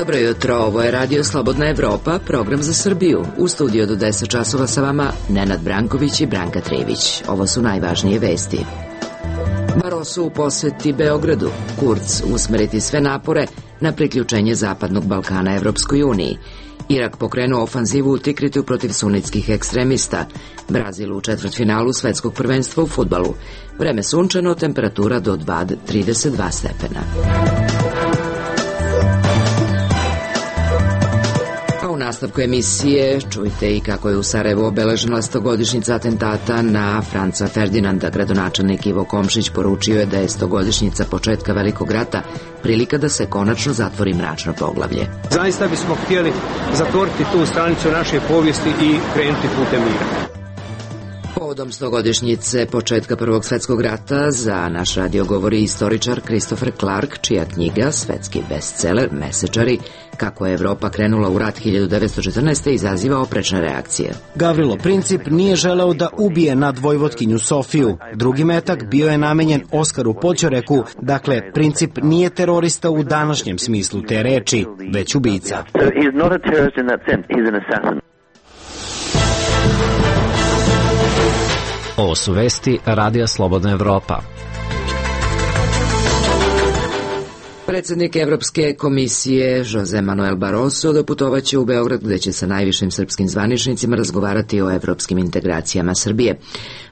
Dobro jutro, ovo je Radio Slobodna Evropa, program za Srbiju. U studiju do 10 časova sa vama Nenad Branković i Branka Trević. Ovo su najvažnije vesti. Barroso u poseti Beogradu. Kurz usmeriti sve napore na priključenje Zapadnog Balkana Evropskoj uniji. Irak pokrenuo ofanzivu u Tikritu protiv sunitskih ekstremista. Brazil u četvrtfinalu svetskog prvenstva u fudbalu. Vreme sunčano, temperatura do 32 stepena. A u nastavku emisije čujte i kako je u Sarajevu obeležena 100-godišnjica atentata na Franca Ferdinanda. Gradonačelnik Ivo Komšić poručio je da je 100-godišnjica početka Velikog rata prilika da se konačno zatvori mračno poglavlje. Zaista bismo htjeli zatvoriti tu stranicu naše povijesti i krenuti putem mira. Povodom 100-godišnjice početka Prvog svjetskog rata za naš radio govori istoričar Christopher Clark, čija knjiga, svetski bestseller Mesečari, kako je Evropa krenula u rat 1914. izaziva oprečne reakcije. Gavrilo Princip nije želeo da ubije nadvojvotkinju Sofiju. Drugi metak bio je namenjen Oskaru Poćoreku, dakle Princip nije terorista u današnjem smislu te reči, već ubica. Ovo su vesti Radija Slobodna Evropa. Predsjednik Evropske komisije Jose Manuel Barroso doputovaće u Beograd gdje će sa najvišim srpskim zvaničnicima razgovarati o evropskim integracijama Srbije.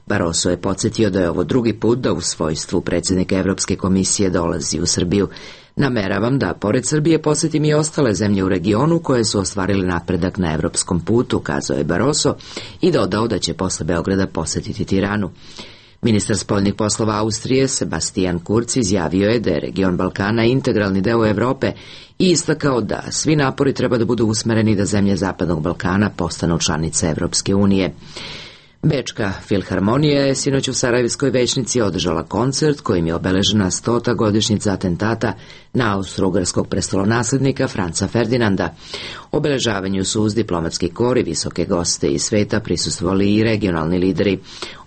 Barroso je podsjetio da je ovo drugi put da u svojstvu predsjednika Evropske komisije dolazi u Srbiju. Nameravam da, pored Srbije, posjetim i ostale zemlje u regionu koje su ostvarili napredak na evropskom putu, kazao je Barroso i dodao da će posle Beograda posjetiti Tiranu. Ministar spoljnih poslova Austrije Sebastian Kurz izjavio je da je region Balkana integralni deo Evrope i istakao da svi napori treba da budu usmereni da zemlje Zapadnog Balkana postanu članice Evropske unije. Bečka filharmonija je sinoć u Sarajevskoj većnici održala koncert kojim je obeležena 100. godišnjica atentata na austro-ugarskog prestolonaslednika Franca Ferdinanda. Obeležavanju su uz diplomatski kor i visoke goste iz sveta prisustvovali i regionalni lideri,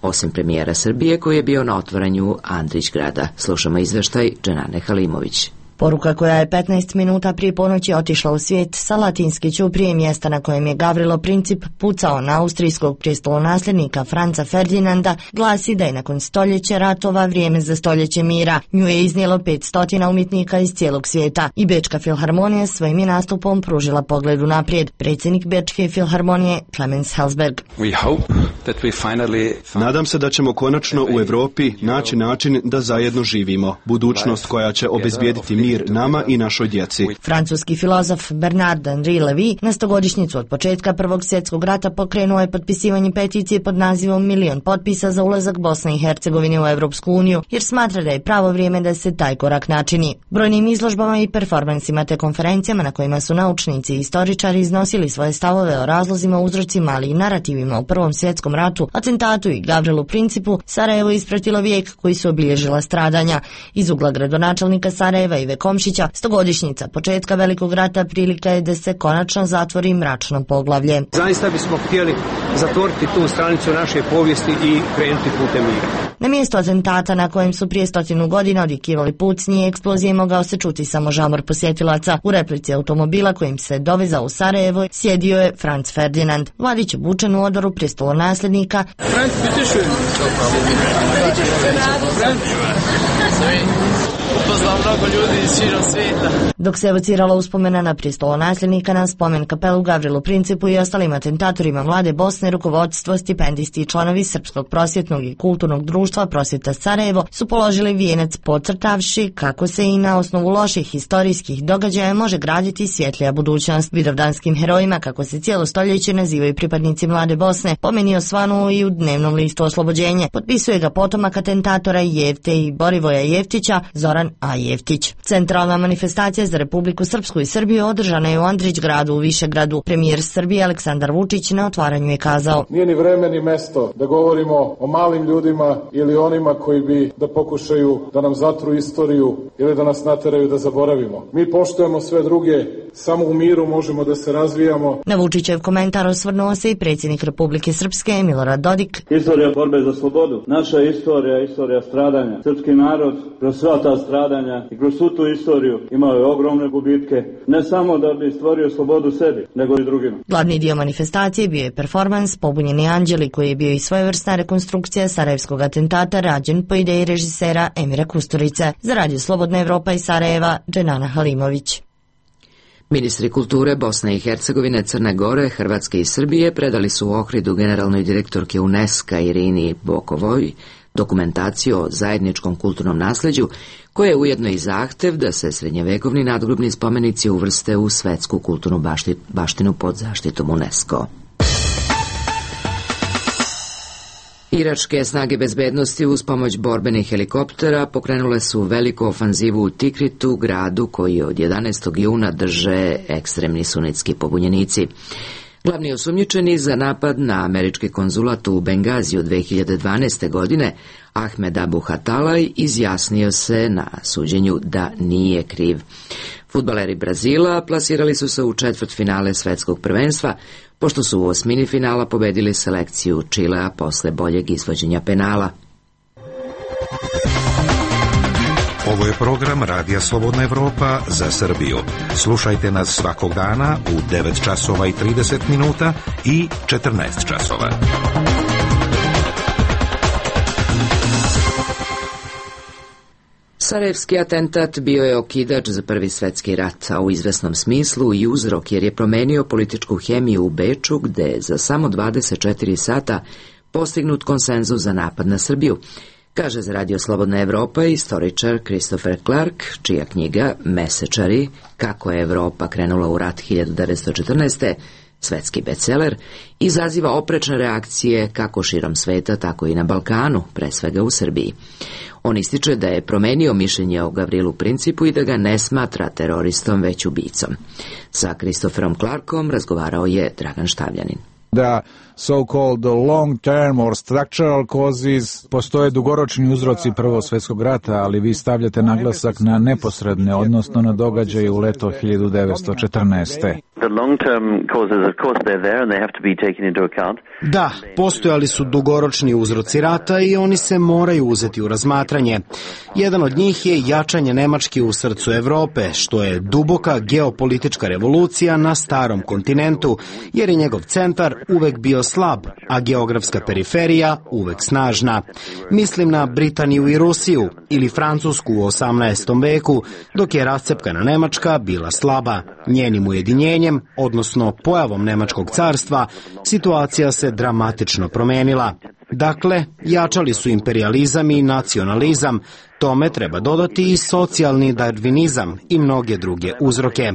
osim premijera Srbije koji je bio na otvaranju Andrićgrada. Slušamo izveštaj Dženane Halimović. Poruka koja je 15 minuta prije ponoći otišla u svijet sa Latinske ćuprije, mjesta na kojem je Gavrilo Princip pucao na austrijskog prestolonasljednika Franca Ferdinanda, glasi da je nakon stoljeća ratova vrijeme za stoljeće mira. Nju je iznijelo 500 umjetnika iz cijelog svijeta i Bečka filharmonija svojim je nastupom pružila pogled unaprijed. Predsjednik Bečke filharmonije Clemens Helsberg. Nadam se da ćemo konačno u Europi naći način da zajedno živimo. Budućnost koja će obezbijediti mir nama i našoj djeci. Francuski filozof Bernard Henri Lévy na 100-godišnjicu od početka Prvog svjetskog rata pokrenuo je potpisivanje peticije pod nazivom 1.000.000 potpisa za ulazak Bosne i Hercegovine u Evropsku uniju, jer smatra da je pravo vrijeme da se taj korak načini. Brojnim izložbama i performansima te konferencijama na kojima su naučnici i istoričari iznosili svoje stavove o razlozima, uzrocima, ali i narativima u Prvom svjetskom ratu, atentatu i Gavrilu Principu, Sarajevo ispratilo vijek koji su obilježila stradanja. Iz ugla gradonačelnika Sarajeva Ive Komšića, 100-godišnjica početka Velikog rata prilika je da se konačno zatvori mračno poglavlje. Zaista bismo htjeli zatvoriti tu stranicu naše povijesti i krenuti putem mira. Na mjestu atentata na kojem su prije 100 godina odjekivali pucnji i eksplozije mogao se čuti samo žamor posjetilaca. U replici automobila kojim se dovezao u Sarajevo sjedio je Franz Ferdinand. Mladić obučen u odoru prestolonasljednika. Franz, bitte schön. Upoznao mnogo ljudi iz širom svijeta. Dok se evocirala uspomena na prestolonasljednika na spomen kapelu Gavrilu Principu i ostalim atentatorima vlade Bosne, rukovodstvo, stipendisti i članovi Srpskog prosvjetnog i kulturnog društva Prosvjeta Sarajevo su položili vijenac podcrtavši kako se i na osnovu loših historijskih događaja može graditi svjetlija budućnost. Vidovdanskim herojima, kako se cijelo stoljeće nazivaju pripadnici mlade Bosne, pomenio svanu i u dnevnom listu Oslobođenje. Potpisuje ga potomak atentatora Jevte i Borivoja Jevtića, Zoran A. Jevtić. Centralna manifestacija za Republiku Srpsku i Srbiju održana je u Andrićgradu u Višegradu. Premijer Srbije Aleksandar Vučić na otvaranju je kazao: Nije ni vreme ni mesto da govorimo o malim ljudima ili onima koji bi da pokušaju da nam zatru istoriju ili da nas nateraju da zaboravimo. Mi poštujemo sve druge, samo u miru možemo da se razvijamo. Na Vučićev komentar osvrnuo se i predsjednik Republike Srpske Milorad Dodik. Istorija borbe za slobodu, naša istorija, istorija stradanja. Srpski narod kroz sva ta stradanja stradanja i kroz svu tu istoriju imao je ogromne gubitke, ne samo da bi stvorio slobodu sebi, nego i drugima. Glavni dio manifestacije bio je performans Pobunjeni anđeli, koji je bio i svojevrsna rekonstrukcija sarajevskog atentata rađen po ideji režisera Emira Kusturice. Za Radio Slobodna Evropa iz Sarajeva, Dženana Halimović. Ministri kulture Bosne i Hercegovine, Crne Gore, Hrvatske i Srbije predali su u Ohridu generalnoj direktorke UNESCO Irini Bokovoj dokumentaciju o zajedničkom kulturnom nasleđu, koja je ujedno i zahtev da se srednjevekovni nadgrobni spomenici uvrste u svetsku kulturnu baštinu pod zaštitom UNESCO. Iračke snage bezbednosti uz pomoć borbenih helikoptera pokrenule su veliku ofanzivu u Tikritu, gradu koji od 11. juna drže ekstremni sunitski pobunjenici. Glavni osumnjičeni za napad na američki konzulat u Bengaziju 2012. godine, Ahmed Abu Hatalaj, izjasnio se na suđenju da nije kriv. Fudbaleri Brazila plasirali su se u četvrtfinale svetskog prvenstva, pošto su u osmini finala pobedili selekciju Čilea posle boljeg izvođenja penala. Ovo je program Radija Slobodna Evropa za Srbiju. Slušajte nas svakog dana u 9 časova i 30 minuta i 14 časova. Sarajevski atentat bio je okidač za Prvi svetski rat, a u izvesnom smislu i uzrok, jer je promenio političku hemiju u Beču, gde je za samo 24 sata postignut konsenzus za napad na Srbiju, kaže za Radio Slobodna Evropa istoričar Christopher Clark, čija knjiga Mesečari, kako je Evropa krenula u rat 1914. svetski bestseller, izaziva oprečne reakcije kako širom sveta, tako i na Balkanu, pre svega u Srbiji. On ističe da je promenio mišljenje o Gavrilu Principu i da ga ne smatra teroristom, već ubicom. Sa Christopherom Clarkom razgovarao je Dragan Štavljanin. Da so-called long-term or structural causes, postoje dugoročni uzroci Prvog svjetskog rata, ali vi stavljate naglasak na neposredne, odnosno na događaje u leto 1914. Da, postojali su dugoročni uzroci rata i oni se moraju uzeti u razmatranje. Jedan od njih je jačanje Nemačke u srcu Evrope, što je duboka geopolitička revolucija na starom kontinentu, jer je njegov centar uvek bio slab, a geografska periferija uvek snažna. Mislim na Britaniju i Rusiju ili Francusku u 18. veku, dok je rascepkana Nemačka bila slaba. Njenim ujedinjenjem, odnosno pojavom Nemačkog carstva, situacija se dramatično promenila. Dakle, jačali su imperializam i nacionalizam, tome treba dodati i socijalni darvinizam i mnoge druge uzroke.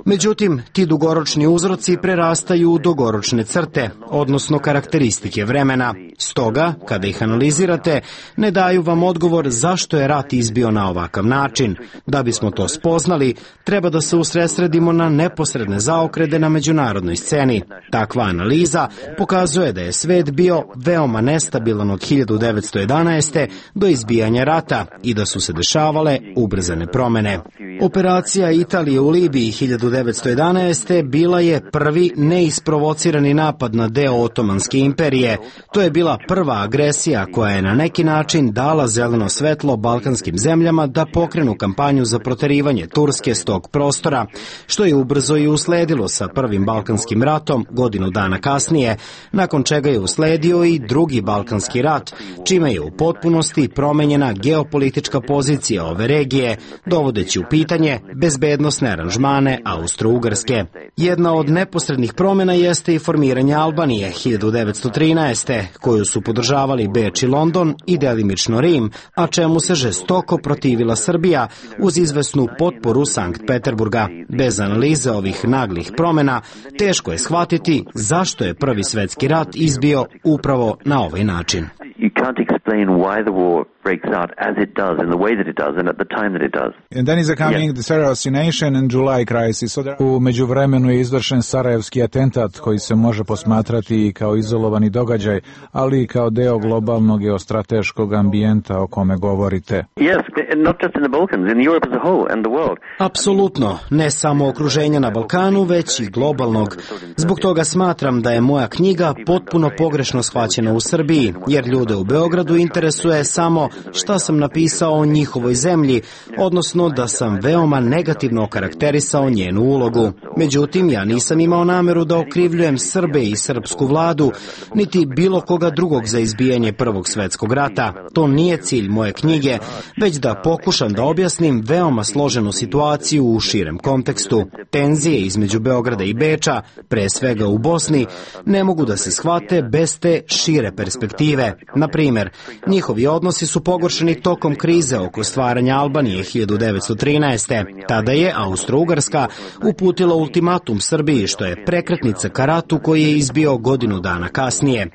Međutim, ti dugoročni uzroci prerastaju u dugoročne crte, odnosno karakteristike vremena. Stoga, kada ih analizirate, ne daju vam odgovor zašto je rat izbio na ovakav način. Da bismo to spoznali, treba da se usredsredimo na neposredne zaokrete na međunarodnoj sceni. Takva analiza pokazuje da je svet bio veoma nestabilan od 1911. do izbijanja rata i da su se dešavale ubrzane promene. Operacija Italije u Libiji 1911. bila je prvi neisprovocirani napad na deo Otomanske imperije. To je bila prva agresija koja je na neki način dala zeleno svetlo balkanskim zemljama da pokrenu kampanju za proterivanje Turske s tog prostora, što je ubrzo i usledilo sa Prvim Balkanskim ratom godinu dana kasnije, nakon čega je usledio i Drugi Balkanski rat, čime je u potpunosti promenjena geopolitička pozicija ove regije, dovodeći u pitanje bezbednosne aranžmane Austro-Ugarske. Jedna od neposrednih promjena jeste i formiranje Albanije 1913. koju su podržavali Beč i London i delimično Rim, a čemu se žestoko protivila Srbija uz izvesnu potporu Sankt Peterburga. Bez analize ovih naglih promjena teško je shvatiti zašto je Prvi svetski rat izbio upravo na ovaj način. You can't explain why the war breaks out as it does, in the way that it does, and at the time that it does. And then is coming the Sarajevo assassination and July crisis. U međuvremenu je izvršen Sarajevski atentat koji se može posmatrati i kao izolovani događaj, ali i kao deo globalnog geostrateškog ambijenta o kome govorite. Yes, not just in the Balkans, in Europe as a whole and the world. Apsolutno, ne samo okruženja na Balkanu, već i globalnog. Zbog toga smatram da je moja knjiga potpuno pogrešno shvaćena u Srbiji, jer ljude u Beogradu interesuje samo šta sam napisao o njihovoj zemlji, odnosno da sam veoma negativno okarakterisao njenu ulogu. Međutim, ja nisam imao nameru da okrivljujem Srbe i srpsku vladu, niti bilo koga drugog za izbijanje Prvog svetskog rata. To nije cilj moje knjige, već da pokušam da objasnim veoma složenu situaciju u širem kontekstu. Tenzije između Beograda i Beča, pre svega u Bosni, ne mogu da se shvate bez te šire perspektive. Na primjer, njihovi odnosi su pogoršeni tokom krize oko stvaranja Albanije 1913. Tada je Austro-Ugarska uputila ultimatum Srbiji, što je prekretnica ka ratu koji je izbio godinu dana kasnije.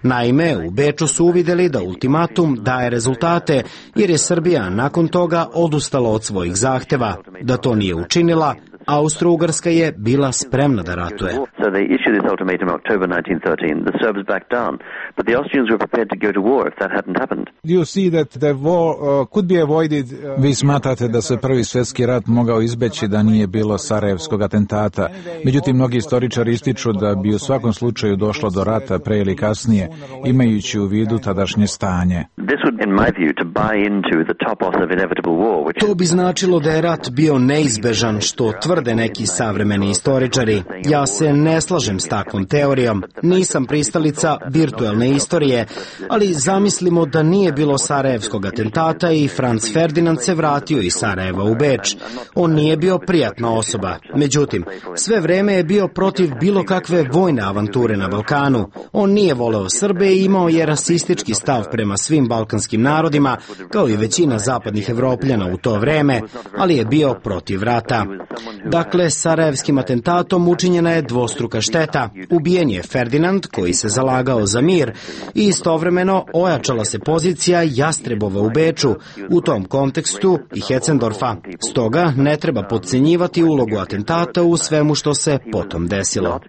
Naime, u Beču su uvideli da ultimatum daje rezultate, jer je Srbija nakon toga odustala od svojih zahteva. Da to nije učinila, Austro-Ugarska je bila spremna da ratuje. Vi smatrate da se Prvi svjetski rat mogao izbeći da nije bilo Sarajevskog atentata. Međutim, mnogi istoričari ističu da bi u svakom slučaju došlo do rata pre ili kasnije, imajući u vidu tadašnje stanje. To bi značilo da je rat bio neizbežan, što tvrde neki savremeni istoričari. Ja se ne slažem s takvom teorijom. Nisam pristalica virtualne istorije, ali zamislimo da nije bilo Sarajevskog atentata i Franz Ferdinand se vratio iz Sarajeva u Beč. On nije bio prijatna osoba. Međutim, sve vreme je bio protiv bilo kakve vojne avanture na Balkanu. On nije voleo Srbe i imao je rasistički stav prema svim balkanskim narodima, kao i većina zapadnih Evropljana u to vreme, ali je bio protiv rata. Dakle, Sarajevskim atentatom učinjena je dvostruka šteta. Ubijen je Ferdinand, koji se zalagao za mir, i istovremeno ojačala se pozicija Jastrebova u Beču, u tom kontekstu i Hetzendorfa. Stoga ne treba podcenjivati ulogu atentata u svemu što se potom desilo.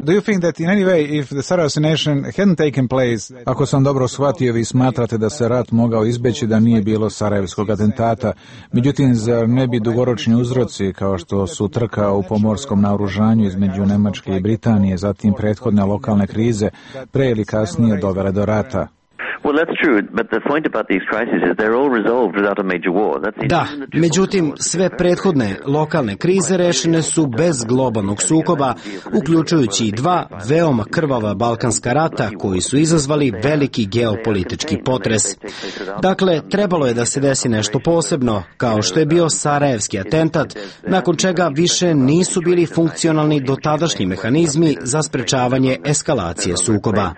Do you think that in any way, if the Sarajevo assassination hadn't taken place, ako sam dobro shvatio, vi smatrate da se rat mogao izbeći da nije bilo Sarajevskog atentata? Međutim, zar ne bi dugoročni uzroci, kao što su trka u pomorskom naoružanju između Nemačke i Britanije, zatim prethodne lokalne krize, pre ili kasnije dovele do rata? Da, međutim, sve prethodne lokalne krize rešene su bez globalnog sukoba, uključujući i dva veoma krvava balkanska rata koji su izazvali veliki geopolitički potres. Dakle, trebalo je da se desi nešto posebno, kao što je bio Sarajevski atentat, nakon čega više nisu bili funkcionalni dotadašnji mehanizmi za sprečavanje eskalacije sukoba.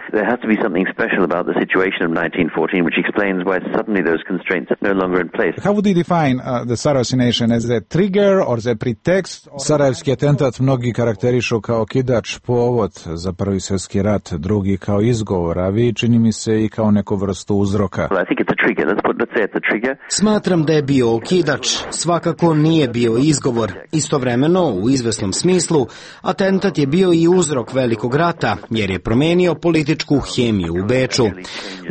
1914, which explains why suddenly those constraints are no longer in place. How would you define the Sarajevo assassination, as a trigger or the pretext? Sarajevski atentat mnogi karakterišu kao kidač, povod za Prvi svjetski rat, drugi kao izgovor, a vi čini mi se i kao neku vrstu uzroka. Well, I think it's a trigger. Let's say it's a trigger. Smatram da je bio okidač, svakako nije bio izgovor. Istovremeno, u izvesnom smislu, atentat je bio i uzrok velikog rata, jer je promenio političku hemiju u Beču.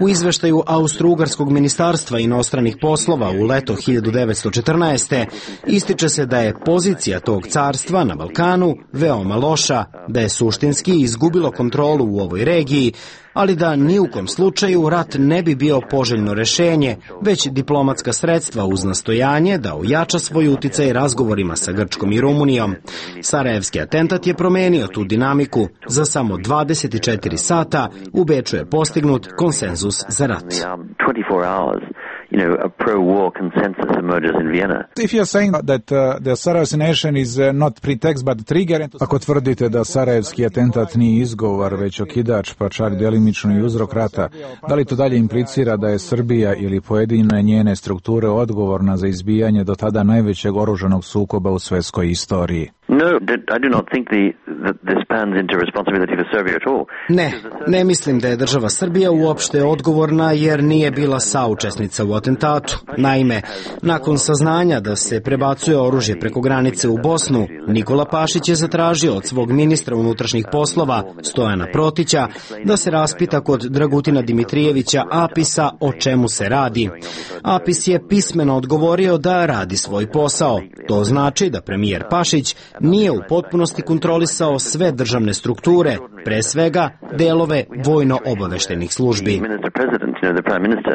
U izveštaju Austro-Ugarskog ministarstva inostranih poslova u leto 1914. ističe se da je pozicija tog carstva na Balkanu veoma loša, da je suštinski izgubilo kontrolu u ovoj regiji, ali da ni u kom slučaju rat ne bi bio poželjno rešenje, već diplomatska sredstva uz nastojanje da ojača svoj uticaj razgovorima sa Grčkom i Rumunijom. Sarajevski atentat je promenio tu dinamiku. Za samo 24 sata u Beču je postignut konsenzus za rat. A pro-war consensus emerges in Vienna. If you are saying that the Sarajevo assassination is not pretext but trigger, ako tvrdite da Sarajevski atentat nije izgovor već okidač, pa čak delimično i uzrok rata, da li to dalje implicira da je Srbija ili pojedine njene strukture odgovorna za izbijanje do tada najvećeg oružanog sukoba u svjetskoj istoriji? No, I do not think that this spans into responsibility for Serbia at all. Ne mislim da je država Srbija uopšte odgovorna jer nije bila saučesnica u atentatu. Naime, nakon saznanja da se prebacuje oružje preko granice u Bosnu, Nikola Pašić je zatražio od svog ministra unutrašnjih poslova, Stojana Protića, da se raspita kod Dragutina Dimitrijevića Apisa o čemu se radi. Apis je pismeno odgovorio da radi svoj posao. To znači da premijer Pašić nije u potpunosti kontrolisao sve državne strukture, pre svega delove vojno-obaveštenih službi. The Prime Minister,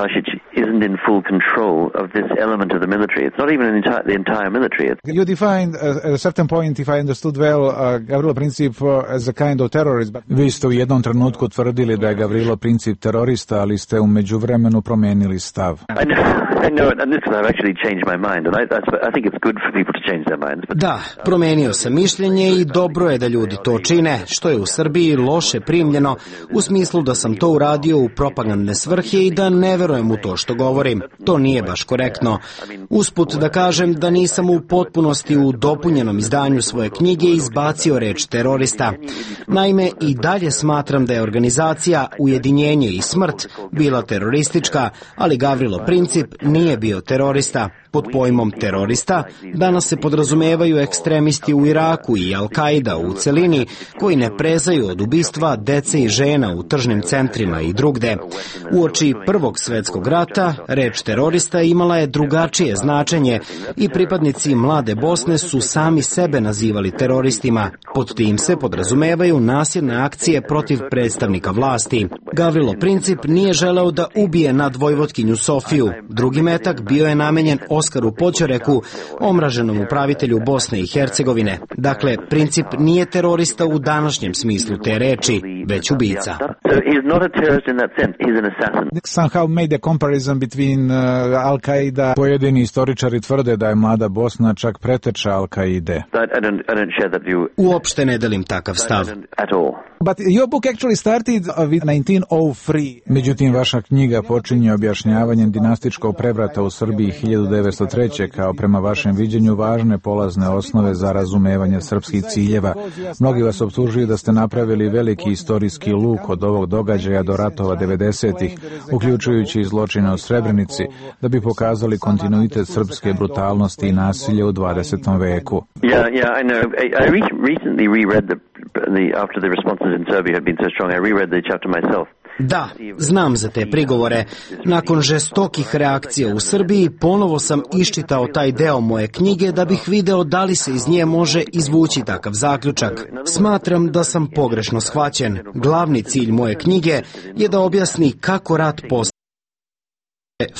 Basic, isn't in full control of this element of the military. It's not even the entire military. You defined at a certain point, if I understood well, Gavrilo Princip as a kind of terrorist. Vi ste u jednom trenutku tvrdili da je Gavrilo Princip terorista, ali ste u međuvremenu promenili stav. I know, and this I've actually changed my mind, and I think it's good for people to change their minds. Da, promenio sam mišljenje i dobro je da ljudi to čine, što je u Srbiji loše primljeno, u smislu da sam to uradio u propagandne svrhe i da ne verujem u to što govorim. To nije baš korektno. Usput da kažem da nisam u potpunosti u dopunjenom izdanju svoje knjige izbacio reč terorista. Naime, i dalje smatram da je organizacija Ujedinjenje i smrt bila teroristička, ali Gavrilo Princip nije bio terorista. Pod pojmom terorista danas se podrazumevaju ekstremisti u Iraku i Al-Kaida u celini koji ne prezaju od ubistva dece i žena u tržnim centrima i drugde. Uoči Prvog svetskog rata reč terorista imala je drugačije značenje i pripadnici Mlade Bosne su sami sebe nazivali teroristima. Pod tim se podrazumevaju nasilne akcije protiv predstavnika vlasti. Gavrilo Princip nije želeo da ubije nadvojvotkinju Sofiju. Drugi metak bio je namenjen Oskaru Poćoreku, omraženom upravitelju Bosne i Hercegovine. Dakle, Princip nije terorista u današnjem smislu te reči, već ubica. Somehow made a comparison between Al-Qaida. Pojedini istoričari tvrde da je Mlada Bosna čak preteča Al-Qaide. Uopšte ne delim takav stav. But your book actually started with 1903. Međutim, vaša knjiga počinje objašnjavanjem dinastičkog prevrata u Srbiji 1903. kao prema vašem viđenju važne polazne osnove za razumevanje srpskih ciljeva. Mnogi vas optužuju da ste napravili veliki istorijski luk od ovog događaja do ratova 90-ih, uključujući i zločine u Srebrenici, da bi pokazali kontinuitet srpske brutalnosti i nasilja u 20. veku. Yeah, I know. I recently reread after the responses in Serbia had been so strong, I reread the chapter myself. Da, znam za te prigovore. Nakon žestokih reakcija u Srbiji, ponovo sam iščitao taj deo moje knjige da bih video da li se iz nje može izvući takav zaključak. Smatram da sam pogrešno shvaćen. Glavni cilj moje knjige je da objasni kako rat postaje.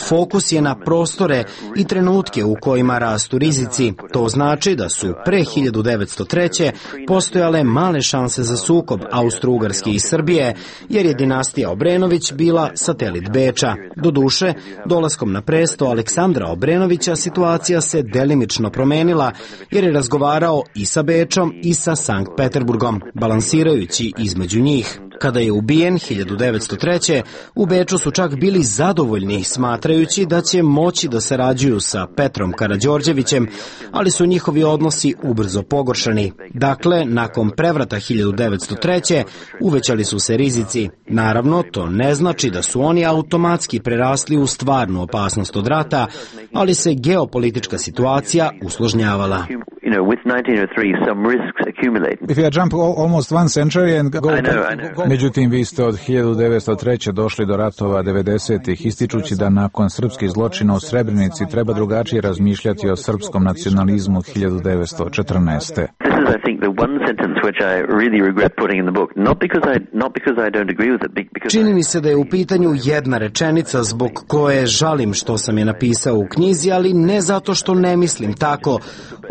Fokus je na prostore i trenutke u kojima rastu rizici. To znači da su pre 1903. postojale male šanse za sukob Austro-Ugarske i Srbije, jer je dinastija Obrenović bila satelit Beča. Doduše, dolaskom na presto Aleksandra Obrenovića situacija se delimično promenila, jer je razgovarao i sa Bečom i sa Sankt Peterburgom, balansirajući između njih. Kada je ubijen 1903. u Beču su čak bili zadovoljni, smatrajući da će moći da sarađuju sa Petrom Karađorđevićem, ali su njihovi odnosi ubrzo pogoršani. Dakle, nakon prevrata 1903. uvećali su se rizici. Naravno, to ne znači da su oni automatski prerasli u stvarnu opasnost od rata, ali se geopolitička situacija usložnjavala. If you jump almost one century and go... Međutim, vi ste od 1903. došli do ratova 90-ih, ističući da nakon srpskih zločina u Srebrenici treba drugačije razmišljati o srpskom nacionalizmu 1914. Čini mi se da je u pitanju jedna rečenica zbog koje žalim što sam je napisao u knjizi, ali ne zato što ne mislim tako,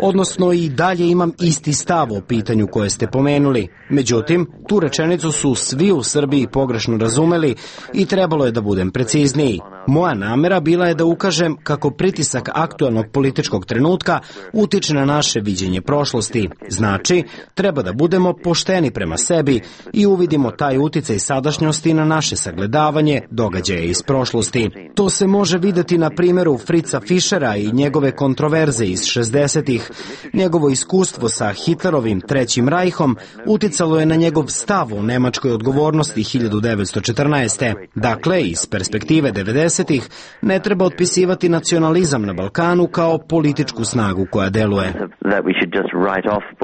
odnosno i dalje imam isti stav o pitanju koje ste pomenuli. Međutim, tu rečenicu su svi u Srbiji pogrešno razumeli i trebalo je da budem precizniji. Moja namera bila je da ukažem kako pritisak aktuelnog političkog trenutka utiče na naše viđenje prošlosti. Znači, treba da budemo pošteni prema sebi i uvidimo taj uticaj sadašnjosti na naše sagledavanje događaja iz prošlosti. To se može videti na primjeru Fritza Fischera i njegove kontroverze iz 60-ih. Njegovo iskustvo sa Hitlerovim Trećim rajhom uticalo je na njegov stav o nemačkoj odgovornosti 1914. Dakle, iz perspektive 90-ih ne treba otpisivati nacionalizam na Balkanu kao političku snagu koja deluje.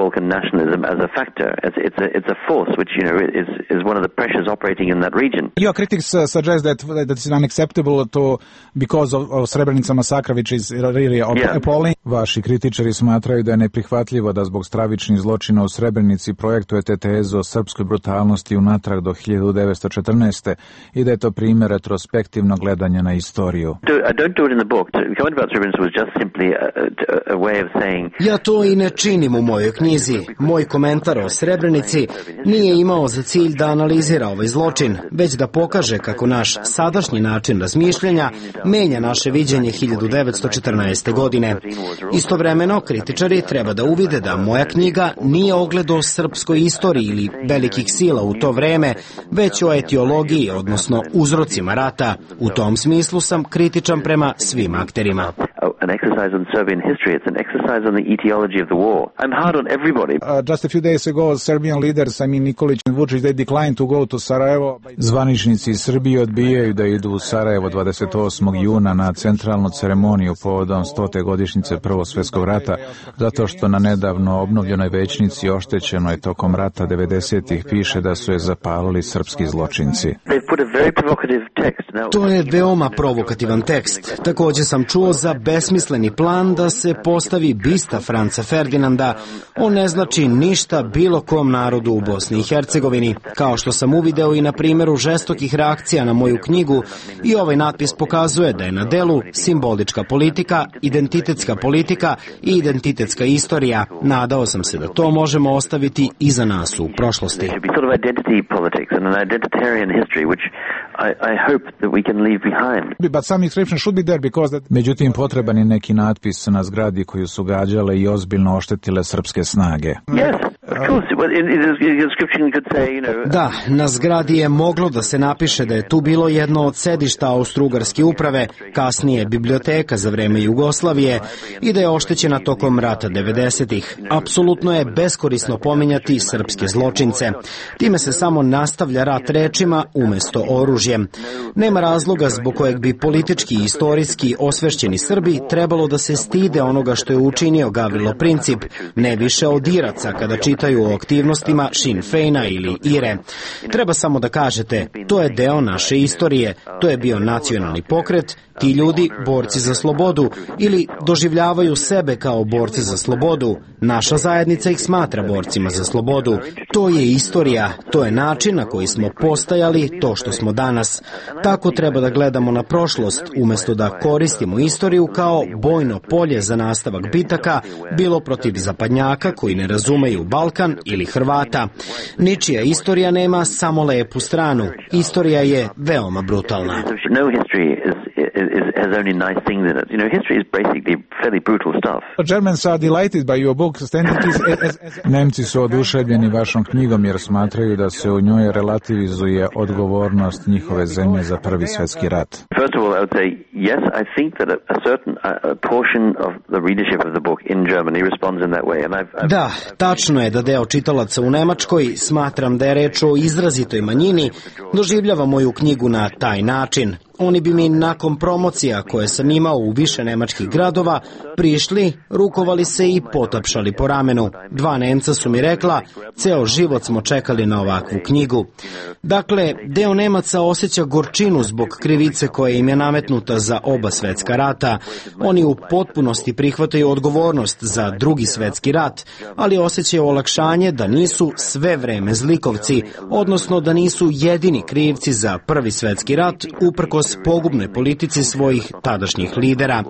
Balkan nationalism as a factor. It's a force which, you know, is one of the pressures operating in that region. Your critics suggest that it's unacceptable because of Srebrenica massacre, which is really appalling. Vaši kritičari smatraju da je neprihvatljivo da zbog stravičnih zločina u Srebrenici projektujete tezu o srpskoj brutalnosti unatrag do 1914. i da je to primjer retrospektivnog gledanja na istoriju. Ja to i ne činim u mojoj knjizi. Moj komentar o Srebrenici nije imao za cilj da analizira ovaj zločin, već da pokaže kako naš sadašnji način razmišljanja menja naše viđenje 1914. godine. Istovremeno, kritičari treba da uvide da moja knjiga nije ogledo srpskoj istoriji ili velikih sila u to vreme, već o etiologiji, odnosno uzrocima rata. U tom smislu sam kritičan prema svim akterima. An exercise on Serbian history. It's an exercise on the etiology of the war. I'm hard on everybody. Just a few days ago, Serbian leaders, Nikolić and Vučić, they declined to go to Sarajevo. Zvaničnici iz Srbije odbijaju da idu u Sarajevo 28. juna na centralnu ceremoniju povodom 100. godišnjice Prvog svjetskog rata, zato što na nedavno obnovljenoj većnici oštećenoj tokom rata 90-ih piše da su je zapalili srpski zločinci. To je veoma provokativan tekst. Također sam čuo za besmisleni plan da se postavi bista Franca Ferdinanda. On ne znači ništa bilo kom narodu u Bosni i Hercegovini. Kao što sam uvideo i na primjeru žestokih reakcija na moju knjigu, i ovaj natpis pokazuje da je na delu simbolička politika, identitetska politika i identitetska istorija. Nadao sam se da to možemo ostaviti iza nas u prošlosti. Međutim, potreban je neki natpis na zgradi koju su gađale i ozbiljno oštetile srpske snage. Da, na zgradi je moglo da se napiše da je tu bilo jedno od sedišta Austro-Ugarske uprave, kasnije biblioteka za vreme Jugoslavije, i da je oštećena tokom rata 90-ih. Apsolutno je beskorisno pominjati srpske zločince. Time se samo nastavlja rat rečima umesto oružjem. Nema razloga zbog kojeg bi politički i istorijski osvešćeni Srbi trebalo da se stide onoga što je učinio Gavrilo Princip, ne više od Iraca kada čitaju o aktivnostima Sinn Feina ili IRE. Treba samo da kažete, to je deo naše istorije, to je bio nacionalni pokret, ti ljudi borci za slobodu ili doživljavaju sebe kao borci za slobodu. Naša zajednica ih smatra borcima za slobodu. To je istorija, to je način na koji smo postajali to što smo danas. Tako treba da gledamo na prošlost, umjesto da koristimo istoriju kao bojno polje za nastavak bitaka, bilo protiv zapadnjaka koji ne razumeju Balkan ili Hrvata. Ničija istorija nema samo lepu stranu. Istorija je veoma brutalna. Has only nice things in it. You know, history is basically fairly brutal stuff. Germans are delighted by your book. Nemci su oduševljeni vašom knjigom jer smatraju da se u njoj relativizuje odgovornost njihove zemlje za Prvi svjetski rat. First of all, I would say yes. I think that a certain portion of the readership of the book in Germany responds in that way. And Da, tačno je da deo čitalaca u Nemačkoj, smatram da je reč o izrazitoj manjini, doživljava moju knjigu na taj način. Oni bi mi nakon promocija koje sam imao u više nemačkih gradova prišli, rukovali se i potapšali po ramenu. 2 Nemca su mi rekla, ceo život smo čekali na ovakvu knjigu. Dakle, deo Nemaca osjeća gorčinu zbog krivice koja im je nametnuta za oba svetska rata. Oni u potpunosti prihvataju odgovornost za Drugi svetski rat, ali osjećaju olakšanje da nisu sve vreme zlikovci, odnosno da nisu jedini krivci za Prvi svetski rat, uprkos pogubnoj politici svojih tadašnjih lidera.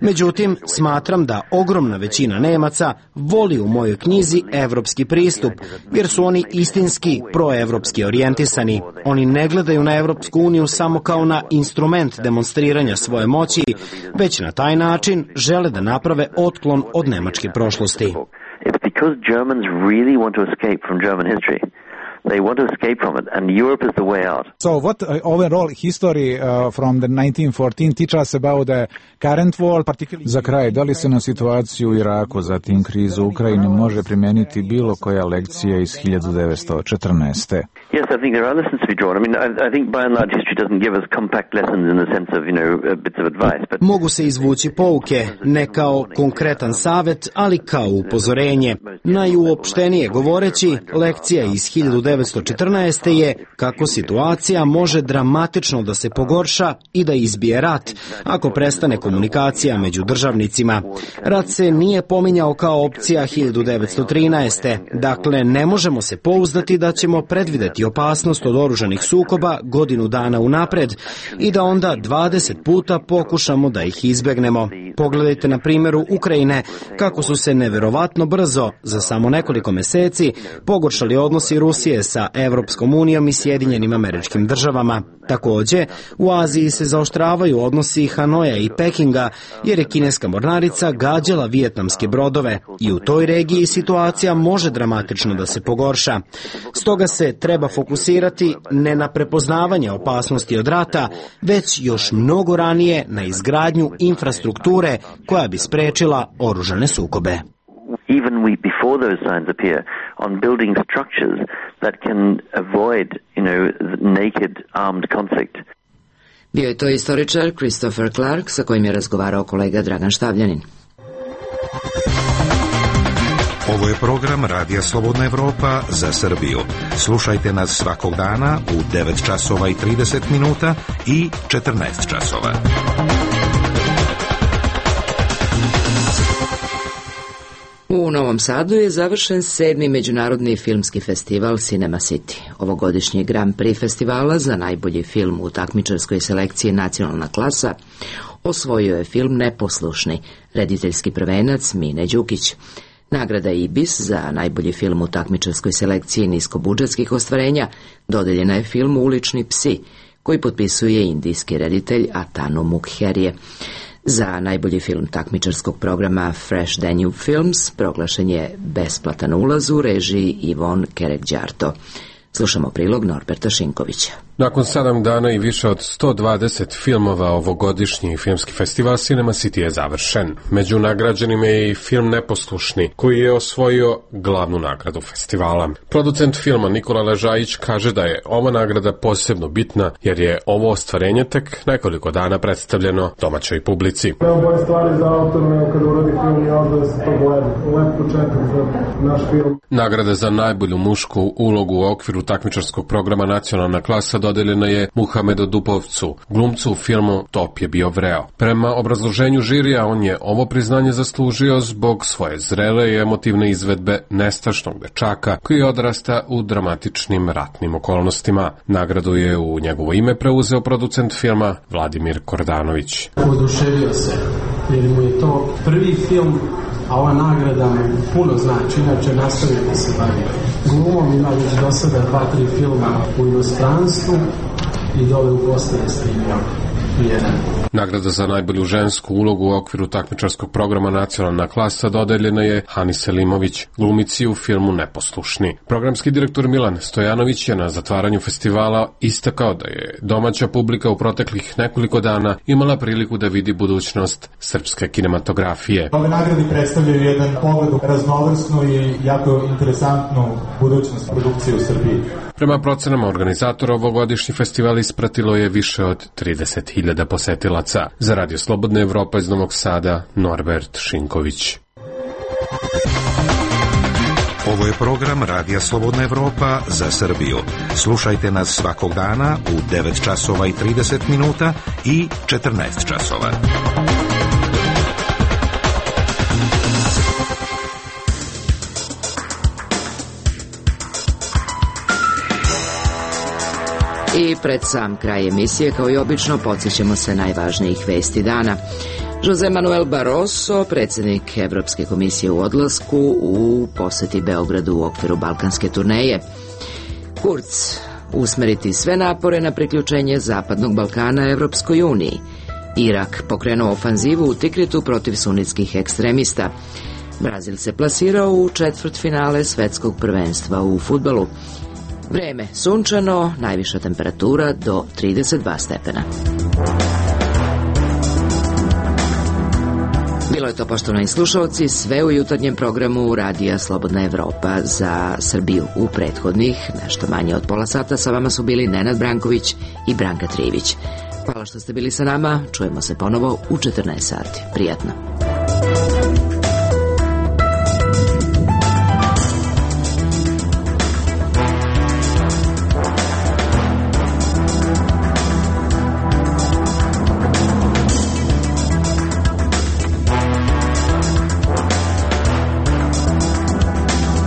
Međutim, smatram da ogromna većina Nemaca voli u mojoj knjizi evropski pristup, jer su oni istinski proevropski orijentisani. Oni ne gledaju na Evropsku uniju samo kao na instrument demonstriranja svoje moći, već na taj način žele da naprave otklon od nemačke prošlosti. It's because Germans really want to escape from German history. They want to escape from it, and Europe is the way out. So what overall history from the 1914 teach us about the current war, particularly... Za kraj, da li se na situaciju u Iraku, zatim krizu u Ukrajini može primijeniti bilo koja lekcija iz 1914? Yes, I think there are lessons to be drawn. I mean, I think by and large history doesn't give us compact lessons in the sense of, bits of advice. But mogu se izvući pouke, ne kao konkretan savet, ali kao upozorenje. Najuopštenije govoreći, lekcija iz 1914. je kako situacija može dramatično da se pogorša i da izbije rat, ako prestane komunikacija među državnicima. Rat se nije pominjao kao opcija 1913. Dakle, ne možemo se pouzdati da ćemo predvideti opasnost od oružanih sukoba godinu dana unapred i da onda 20 puta pokušamo da ih izbegnemo. Pogledajte na primjeru Ukrajine kako su se neverovatno brzo, za samo nekoliko meseci, pogoršali odnosi Rusije sa Evropskom unijom i Sjedinjenim Američkim Državama. Takođe, u Aziji se zaoštravaju odnosi Hanoja i Pekinga jer je kineska mornarica gađala vijetnamske brodove i u toj regiji situacija može dramatično da se pogorša. Stoga se treba fokusirati ne na prepoznavanje opasnosti od rata, već još mnogo ranije na izgradnju infrastrukture koja bi sprečila oružane sukobe. Even before those signs appear, on building structures that can avoid, naked armed conflict. Bio je to istoričar Christopher Clark sa kojim je razgovarao kolega Dragan Štavljanin. Ovo je program Radija Slobodna Evropa za Srbiju. Slušajte nas svakog dana u 9 časova i 30 minuta i 14 časova. U Novom Sadu je završen 7. međunarodni filmski festival Cinema City. Ovogodišnji Grand Prix festivala za najbolji film u takmičarskoj selekciji Nacionalna klasa osvojio je film Neposlušni, rediteljski prvenac Mine Đukić. Nagrada Ibis za najbolji film u takmičarskoj selekciji niskobudžetskih ostvarenja dodeljena je filmu Ulični psi, koji potpisuje indijski reditelj Atanu Mukherjee. Za najbolji film takmičarskog programa Fresh Danube Films proglašen je besplatan ulaz u režiji Ivon Kerekđarto. Slušamo prilog Norberta Šinkovića. Nakon 7 dana i više od 120 filmova ovogodišnji filmski festival Cinema City je završen. Među nagrađenima je i film Neposlušni, koji je osvojio glavnu nagradu festivala. Producent filma Nikola Ležajić kaže da je ova nagrada posebno bitna jer je ovo ostvarenje tek nekoliko dana predstavljeno domaćoj publici. Bolje stvari za autor nego kada uradi film i onda da se to gleda. Lep početak za naš film. Nagrada za najbolju mušku ulogu u okviru takmičarskog programa Nacionalna klasa dodeljena je Muhamedu Dupovcu, glumcu u filmu Top je bio vreo. Prema obrazloženju žirija, on je ovo priznanje zaslužio zbog svoje zrele i emotivne izvedbe nestašnog dečaka koji odrasta u dramatičnim ratnim okolnostima. Nagradu je u njegovo ime preuzeo producent filma Vladimir Kordanović. Oduševio se jer mu je to prvi film, a ova nagrada mu puno znači, inače nastavio da se bavi glumom, ima već do sada 2-3 filma u inostranstvu i dole u Bosni je snimio jedan. Nagrada za najbolju žensku ulogu u okviru takmičarskog programa Nacionalna klasa dodeljena je Hani Selimović, glumici u filmu Neposlušni. Programski direktor Milan Stojanović je na zatvaranju festivala istakao da je domaća publika u proteklih nekoliko dana imala priliku da vidi budućnost srpske kinematografije. Ove nagrade predstavljaju jedan pogled u raznovrsnu i jako interesantnu budućnost produkcije u Srbiji. Prema procenama organizatora ovogodišnji festival ispratilo je više od 30.000 posetilaca. Za Radio Slobodna Evropa iz Novog Sada, Norbert Šinković. Ovo je program Radija Slobodna Evropa za Srbiju. Slušajte nas svakog dana u 9 časova i 30 minuta i 14 časova. I pred sam kraj emisije, kao i obično, podsjećamo se najvažnijih vesti dana. Jose Manuel Barroso, predsjednik Evropske komisije u odlasku u poseti Beogradu u okviru balkanske turneje. Kurz, usmeriti sve napore na priključenje Zapadnog Balkana Evropskoj uniji. Irak pokrenuo ofanzivu u Tikritu protiv sunitskih ekstremista. Brazil se plasirao u četvrtfinale svetskog prvenstva u fudbalu. Vreme sunčano, najviša temperatura do 32 stepena. Bilo je to, poštovani slušalci, sve u jutarnjem programu Radija Slobodna Evropa za Srbiju. U prethodnih, nešto manje od pola sata, sa vama su bili Nenad Branković i Branka Trivić. Hvala što ste bili sa nama, čujemo se ponovo u 14 sati. Prijatno.